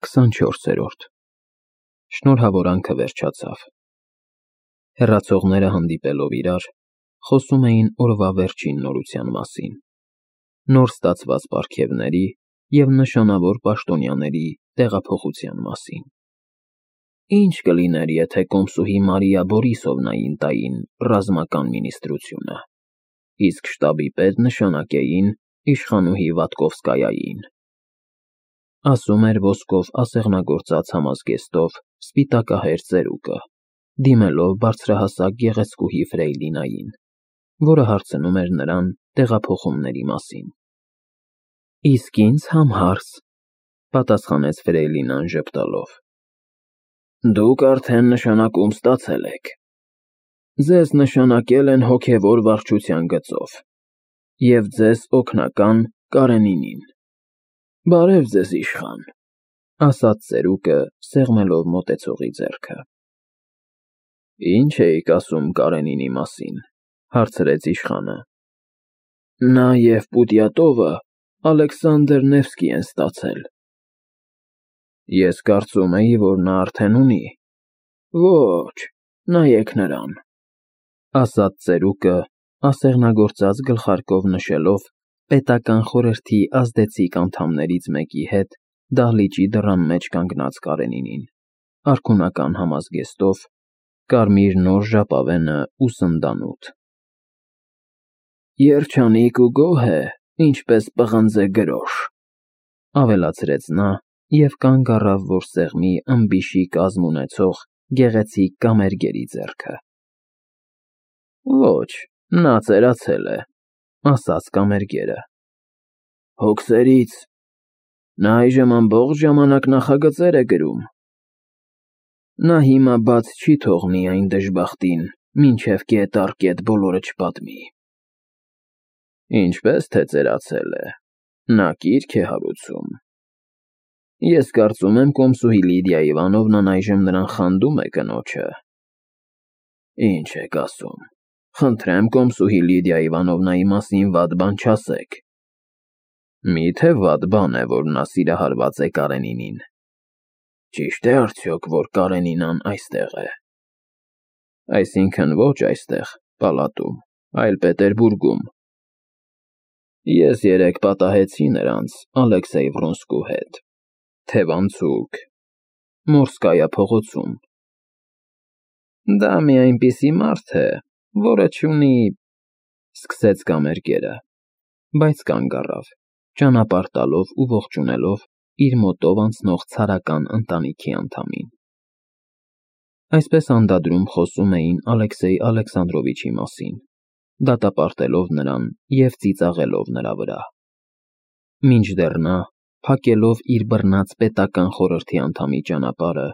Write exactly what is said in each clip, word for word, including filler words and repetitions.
քսանչորսերորդ Շնորհավորանքը վերջացավ։ Հեռացողները հանդիպելով իրար, խոսում էին օրվա վերջին նորության մասին, նոր ստացված պարգևների և նշանավոր պաշտոնյաների տեղափոխության մասին։ Ինչ կլիներ, եթե կոմսուհի Մարիա Բորիսովնային տային ռազմական մինիստրությունը, իսկ շտաբի պետ նշանակեին իշխանուհի Վատկովսկայային, ասում էր ոսկով ասեղնագործած համազգեստով սպիտակահեր ծերուկը, դիմելով բարձրահասակ գեղեցկուհի Ֆրեյլինային, որը հարցնում էր նրան տեղափոխումների մասին։ Իսկ ինձ համհարց, պատասխանեց Ֆրեյլինան ժպտալով։ Դուք արդեն նշանակում ստացել եք։ Ձեզ նշանակել են հոգևոր վարչության գծով և ձեզ օգնական Կարենինին։ Բարև ձեզ, իշխան, ասաց ծերուկը, սեղմելով մոտեցողի ձեռքը։ Ինչ էիք ասում Կարենինի մասին, հարցրեց իշխանը։ Նա և Պուտյատովը Ալեքսանդր Նևսկի են ստացել։ Ես կարծում էի, որ նա արդեն ունի։ Ոչ, նայեք նրան, ասաց ծերուկը, ասեղնագործած գլխարկով նշելով պետական խորհրդի ազդեցիկ անդամներից մեկի հետ դահլիճի դռան մեջ կանգնած Կարենինին, արքունական համազգեստով, կարմիր նոր ժապավենը ու սնդանութ։ Երջանիկ ու գոհ է, ինչպես պղնձե գրոշ, ավելացրեց նա և կանգ առավ, որ սեղմի ըմբիշի կազմ ունեցող գեղեցիկ կամերգերի ձեռքը։ Ոչ, նա ծերացել է, ասաց կամերգերը։ Հոգսերից, նա այժմ ամբողջ ժամանակ նախագծեր է գրում։ Նա հիմա բաց չի թողնի այն դժբախտին, մինչև կետ առ կետ բոլորը չպատմի։ Ինչպես թե ծերացել է, նա կիրք է հարուցում։ Ես կարծում եմ կոմսուհի Լիդիա Իվանովնան այժմ նրան խանդում է կնոջը։ Ինչ եք ասում, խնդրեմ կոմսուհի Լիդիա Իվանովնայի մասին վատ բան չասեք։ Մի՞թե վատ բան է, որ նա սիրահարված է Կարենինին։ Ճիշտ է արդյոք, որ Կարենինան այստեղ է։ Այսինքն ոչ այստեղ, պալատում, այլ Պետերբուրգում։ Ես երեկ պատահեցի նրանց Ալեքսեյ Վրոնսկու հետ, թևանցուկ, Մորսկայա փողոցում։ Դա մի այնպիսի մարդ է, որը չունի, սկսեց կամերգերը, բայց կանգ առավ, ճանապարհ տալով ու ողջունելով իր մոտով անցնող ցարական ընտանիքի անդամին։ Այսպես անդադրում խոսում էին Ալեքսեյ Ալեքսանդրովիչի մասին, դատապարտելով նրան և ծիծաղելով նրա վրա։ Մինչդեռ նա, փակելով իր բռնած պետական խորհրդի անդամի ճանապարհը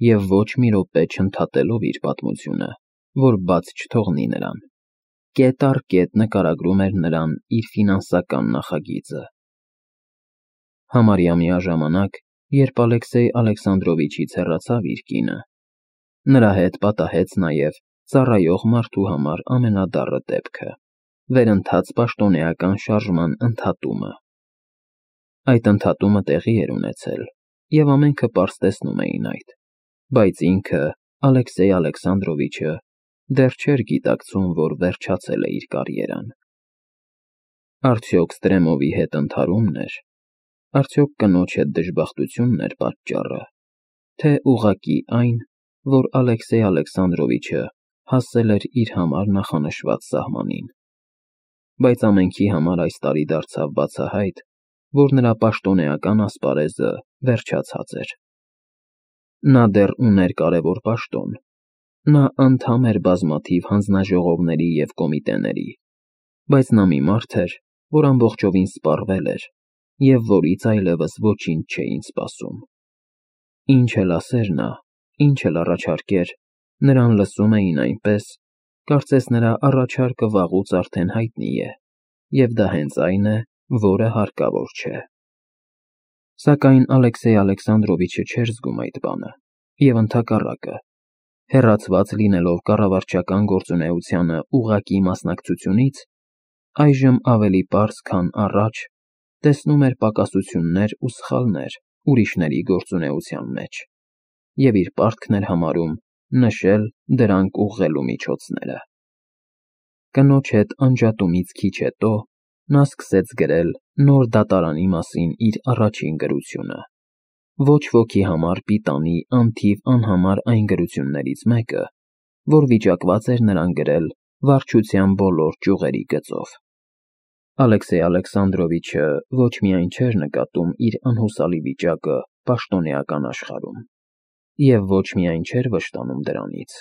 և ոչ մի րոպե չընդհատելով իր պատմությունը, որ բաց չթողնի նրան, կետ առ կետ նկարագրում էր նրան իր ֆինանսական նախագիծը։ Համարյա միաժամանակ, երբ Ալեքսեյ Ալեքսանդրովիչից հեռացավ իր կինը, նրա հետ պատահեց նաև ծառայող մարդու համար ամենադառը դեպքը՝ վերընթաց պաշտոնեական շարժման ընդհատումը։ Այդ ընդհատումը տեղի էր ունեցել, և ամենքը պարզ տեսնում էին այդ, բայց ինքը, Ալեքսեյ Ալեքսանդրովիչը, դեռ չէր գիտակցում, որ վերջացել է իր կարիերան։ Արդյոք Ստրեմովի հետ ընդհարումն էր, արդյոք կնոջ հետ դժբախտությունն էր պատճառը, թե ուղղակի այն, որ Ալեքսեյ Ալեքսանդրովիչը հասել էր իր համար նախանշված սահմանին։ Բայց ամենքի համար այս տարի դարձավ բացահայտ, որ նրա պաշտոնեական ասպարեզը վերջացած էր։ Նա դեռ ուներ կարևոր պաշտոն, նա անդամ էր բազմաթիվ հանձնաժողովների և կոմիտեների, բայց նա մի մարդ էր, որ ամբողջովին սպառվել էր և որից այլևս ոչինչ չէին սպասում։ Ինչ էլ ասեր նա, ինչ էլ առաջարկեր, նրան լսում էին այնպես, կարծես նրա առաջարկը վաղուց արդեն հայտնի է, և դա հենց այն է, որը հարկավոր չէ։ Սակայն Ալեքսեյ Ալեքսանդրովիչը չէր զգում այդ բանը, և ընդհակառակը, հեռացված լինելով կառավարչական գործունեությանը ուղղակի մասնակցությունից, այժմ ավելի պարզ, քան առաջ, տեսնում էր պակասություններ ու սխալներ, ուրիշների գործունեության մեջ, և իր պարտքն էր համարում նշել դրանք ուղղելու միջոցները։ Կնոջ հետ անջատումից քիչ հետո նա սկսեց գրել նոր դատարանի մասին իր առաջին գրությունը։ Ոչ ոքի համար պիտանի անթիվ անհամար այն գրություններից մեկը, որ վիճակված էր նրան գրել վարչության բոլոր ճյուղերի գծով։ Ալեքսեյ Ալեքսանդրովիչը ոչ միայն չէր նկատում իր անհուսալի վիճակը պաշտոնեական աշխարհում, և ոչ միայն չէր վշտանում դրանից,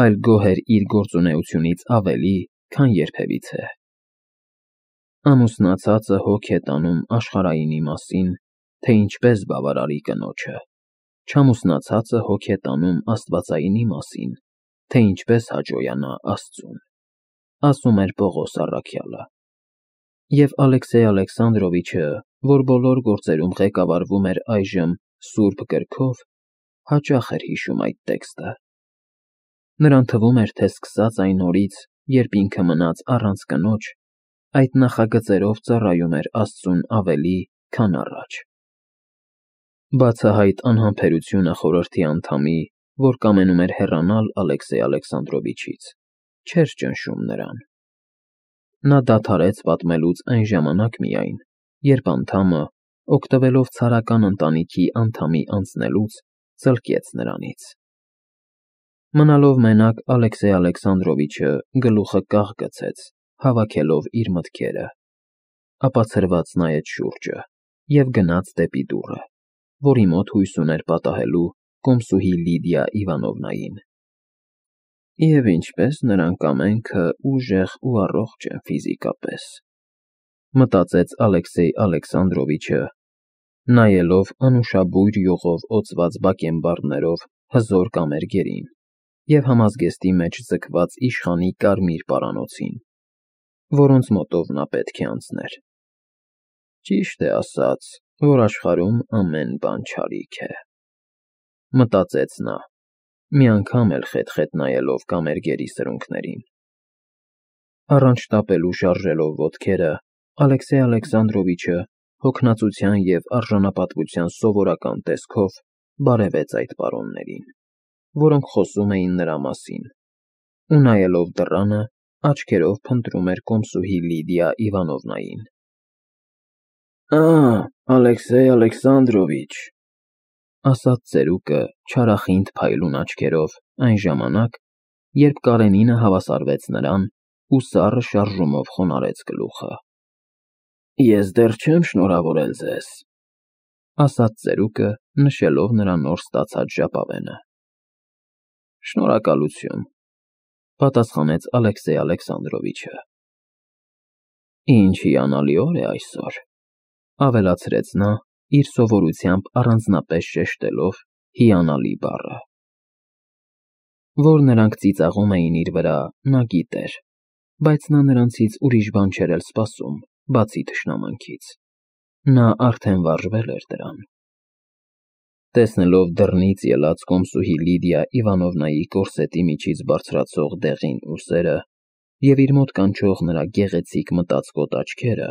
այլ գոհ էր իր գործունեությունից ավելի, քան երբևիցե։ Ամուսնացածը հոգ է տանում աշխարհայինի մասին, թե ինչպես բավարարի կնոջը, չամուսնացածը հոգ է տանում աստվածայինի մասին, թե ինչպես հաճոյանա Աստծուն, ասում էր Պողոս առաքյալը։ Եվ Ալեքսեյ Ալեքսանդրովիչը, որ բոլոր գործերում ղեկավարվում էր այժմ սուրբ կրքով, հաճախ էր հիշում այդ տեքստը։ Նրան թվում էր, թե սկսած այն օրից, երբ ինքը մնաց առանց կնոջ, այդ նախագծերով ծառայում էր Աստծուն ավելի, քան առաջ։ Բացահայտ անհամբերությունը խորհրդի անդամի, որ կամենում էր հեռանալ Ալեքսեյ Ալեքսանդրովիչից, չէր ճնշում նրան։ Նա դադարեց պատմելուց այն ժամանակ միայն, երբ անդամը, օգտվելով ցարական ընտանիքի անդամի անցնելուց, ծլկեց նրանից։ Մնալով մենակ Ալեքսեյ Ալեքսանդրովիչը գլուխը կաղ գցեց, հավաքելով իր մտքերը, ապա ցրված նայեց շուրջը և գնաց դեպի դուռը, որի մոտ հույս ուներ պատահելու կոմսուհի Լիդիա Իվանովնային։ Եվ ինչպես նրանք ամենքը ուժեղ ու առողջ են ֆիզիկապես, մտածեց Ալեքսեյ Ալեքսանդրովիչը, նայելով անուշաբույր յուղով օծված բակենբարներով հզոր կամերգերին և համազգեստի մեջ ձգված իշխանի կարմիր պարանոցին, որոնց մոտով նա պետք է անցներ։ Ճիշտ է ասած, որ աշխարհում ամեն բան չարիք է, մտածեց նա, մի անգամ էլ խետ-խետ նայելով կամերգերի սրունքներին։ Առանց շտապելու շարժելով ոտքերը, Ալեքսեյ Ալեքսանդրովիչը հոգնածության և արժանապատվության սովորական տեսքով բարևեց այդ պարոններին, որոնք խոսում էին նրա մասին, ու նայելով դռանը, աչքերով փնտրում էր կոմսուհի Լիդիա Իվանովնային։ Ա՜, Ալեքսեյ Ալեքսանդրովիչ, ասաց ծերուկը չարախինդ փայլուն աչքերով այն ժամանակ, երբ Կարենինը հավասարվեց նրան ու սառը շարժումով խոնարհեց գլուխը։ Ես դեռ չեմ շնորհավորել ձեզ, ասաց ծերուկը, նշելով նրա նոր ստացած ժապավենը։ Շնորհակալություն, պատասխանեց Ալեքսեյ Ալեքսանդրովիչը։ Ինչ հիանալի օր է այսօր, ավելացրեց նա, իր սովորությամբ առանձնապես շեշտելով հիանալի բառը։ Որ նրանք ծիծաղում էին իր վրա, նա գիտեր, բայց նա նրանցից ուրիշ բան չէր էլ սպասում, բացի թշնամանքից։ Նա արդեն վարժվել էր դրան։ Տեսնելով դռնից ելած կոմսուհի Լիդիա Իվանովնայի կորսետի միջից բարձրացող դեղին ուսերը և իր մոտ կանչող նրա գեղեցիկ մտածկոտ աչքերը,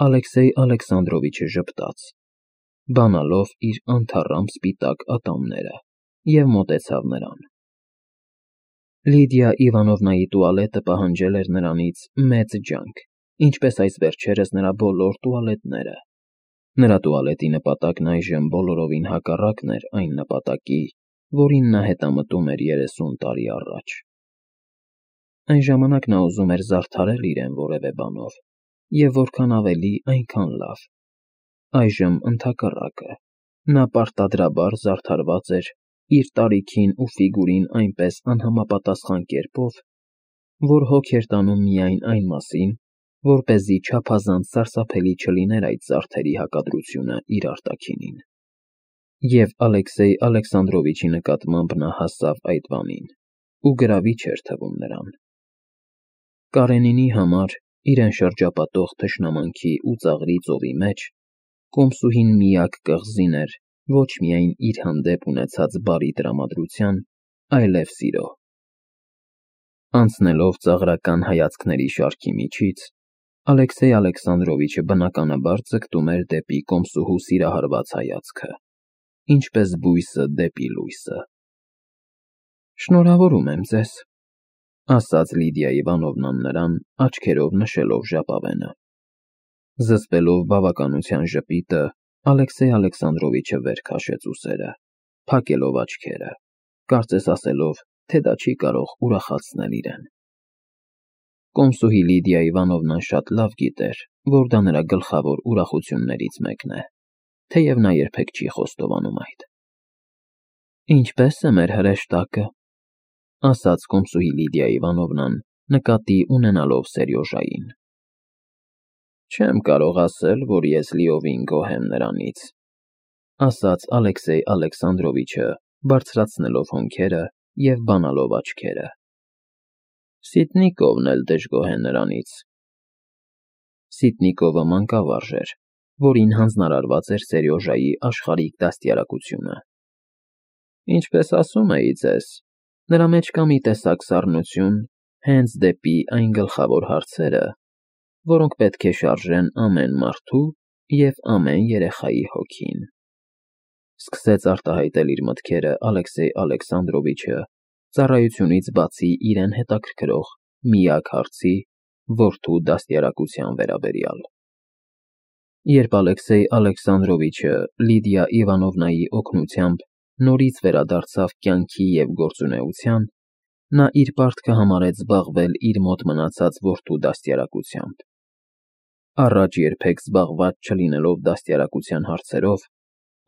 Ալեքսեյ Ալեքսանդրովիչը ժպտաց, բանալով իր անթառամ սպիտակ ատամները, և մոտեցավ նրան։ Լիդիա Իվանովնայի տուալետը պահանջել էր նրանից մեծ ջանք, ինչպես այս վերջերս նրա բոլոր տուալետները։ Նրա տուալետի նպատակն այժմ բոլորովին հակառակն էր այն նպատակի, որին նա հետամտում էր երեսուն տարի առաջ։ Այն ժամանակ նա ուզում էր զարդարել իրեն որևէ բանով, և որքան ավելի, այնքան լավ։ Այժմ ընդհակառակը, նա պարտադրաբար զարդարված էր իր տարիքին ու ֆիգուրին այնպես անհամապատասխան կերպով, որ հոգ էր տանում միայն այն մասին, որպեսզի չափազանց սարսափելի չլիներ այդ զարդերի հակադրությունը իր արտաքինին։ Եվ Ալեքսեյ Ալեքսանդրովիչի նկատմամբ նա հասավ այդ բանին, ու գրավիչ էր թվում նրան։ Կարենինի համար, իրեն շրջապատող թշնամանքի ու ծաղրի ծովի մեջ, կոմսուհին միակ կղզին էր ոչ միայն իր հանդեպ ունեցած բարի տրամադրության, այլև սիրո։ Անցնելով ծաղրական հայացքների շարքի միջից, Ալեքսեյ Ալեքսանդրովիչը բնականաբար ձգտում էր դեպի կոմսուհու սիրահարված հայացքը, ինչպես բույսը դեպի լույսը։ Շնորհավորում եմ ձեզ, ասաց Լիդիա Իվանովնան նրան, աչքերով նշելով ժապավենը։ Զսպելով բավականության ժպիտը, Ալեքսեյ Ալեքսանդրովիչը վեր քաշեց ուսերը, փակելով աչքերը, կարծես ասելով, թե դա չի կարող ուրախացնել իրեն։ Կոմսուհի Լիդիա Իվանովնան շատ լավ գիտեր, որ դա նրա գլխավոր ուրախություններից մեկն է, թեև նա երբեք չի խոստովանում այդ։ Ինչպե՞ս է մեր հրեշտակը, ասաց կոմսուհի Լիդիա Իվանովնան, նկատի ունենալով Սերյոժային։ Չեմ կարող ասել, որ ես լիովին գոհ եմ նրանից, ասաց Ալեքսեյ Ալեքսանդրովիչը, բարձրացնելով հոնքերը և բանալով աչքերը։ Սիտնիկովն էլ դժգոհ է նրանից։ Սիտնիկովը մանկավարժ էր, որին հանձնարարված էր Սերյոժայի աշխարհիկ դաստիարակությունը։ Ինչպես ասում էի ձեզ, նրա մեջ կա մի տեսակ սառնություն հենց դեպի այն գլխավոր հարցերը, որոնք պետք է շարժեն ամեն մարդու և ամեն երեխայի հոգին։ Սկսեց արտահայտել իր մտքերը Ալեքսեյ Ալեքսանդրովիչը, ծառայությունից բացի իրեն հետաքրքրող միակ հարցի՝ որդու դաստիարակության վերաբերյալ։ Երբ Ալեքսեյ Ալեքսանդրովիչը Լիդիա Իվանովնայի օգնությամբ նորից վերադարձավ կյանքի և գործունեության, նա իր պարտքը համարեց զբաղվել իր մոտ մնացած որդու դաստիարակությամբ։ Առաջ երբեք զբաղված չլինելով դաստիարակության հարցերով,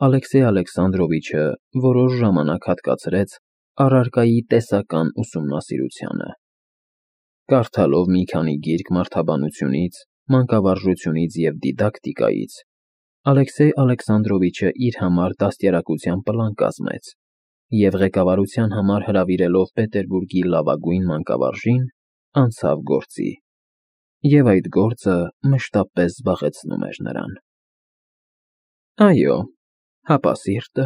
Ալեքսեյ Ալեքսանդրովիչը որոշ ժամանակ հատկացրեց առարկայի տեսական ուսումնասիրությանը։ Կարդալով մի քանի գիրք մարդաբանությունից, մանկավարժությունից և դիդակտիկայից, Ալեքսեյ Ալեքսանդրովիչը իր համար դաստիարակության պլան կազմեց և ղեկավարության համար հրավիրելով Պետերբուրգի լավագույն մանկավարժին, անցավ գործի, և այդ գործը մշտապես զբաղեցնում էր նրան։ Այո, հապա սիրտը։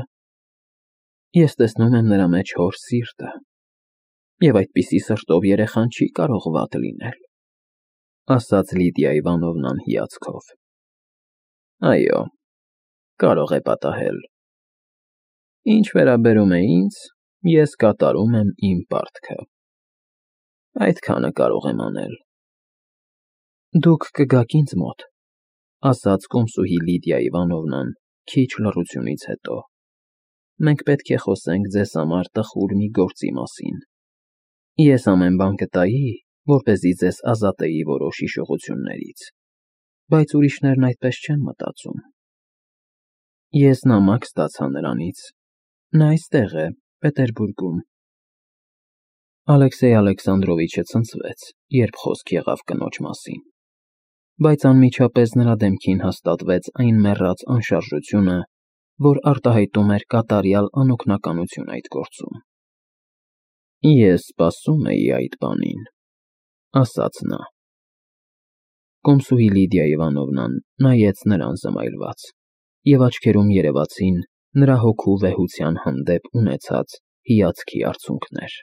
Ես տեսնում եմ նրա մեջ հոր սիրտը, և այդպիսի սրտով երեխան չի կարող վատ լինել, ասաց Լիդիա Իվանովնան հիացքով։ Այո, կարող է պատահել։ Ինչ վերաբերում է ինձ, ես կատարում եմ իմ պարտքը։ Այդքանը կարող եմ անել։ Դուք կգաք ինձ մոտ, ասաց կոմսուհի Լիդիա Իվանովնան, քիչ լռությունից հետո։ Մենք պետք է խոսենք ձեզ համար տխուր մի գործի մասին։ Ես ամեն բան կտայի, որպեսզի ձեզ ազատեի որոշ հիշողություններից, բայց ուրիշներն այդպես չեն մտածում։ Ես նամակ ստացա նրանից։ Նա այստեղ է, Պետերբուրգում։ Ալեքսեյ Ալեքսանդրովիչը ցնցվեց, երբ խոսք եղավ կնոջ մասին, բայց անմիջապես նրա դեմքին հաստատվեց այն մեռած անշարժությունը, որ արտահայտում էր կատարյալ անօգնականություն այդ գործում։ Ես սպասում էի այդ բանին, ասաց նա։ Կոմսուհի Լիդիա Իվանովնան նայեց նրան զմայլված, և աչքերում երևացին նրա հոգու վեհության հանդեպ ունեցած հիացքի արցունքներ։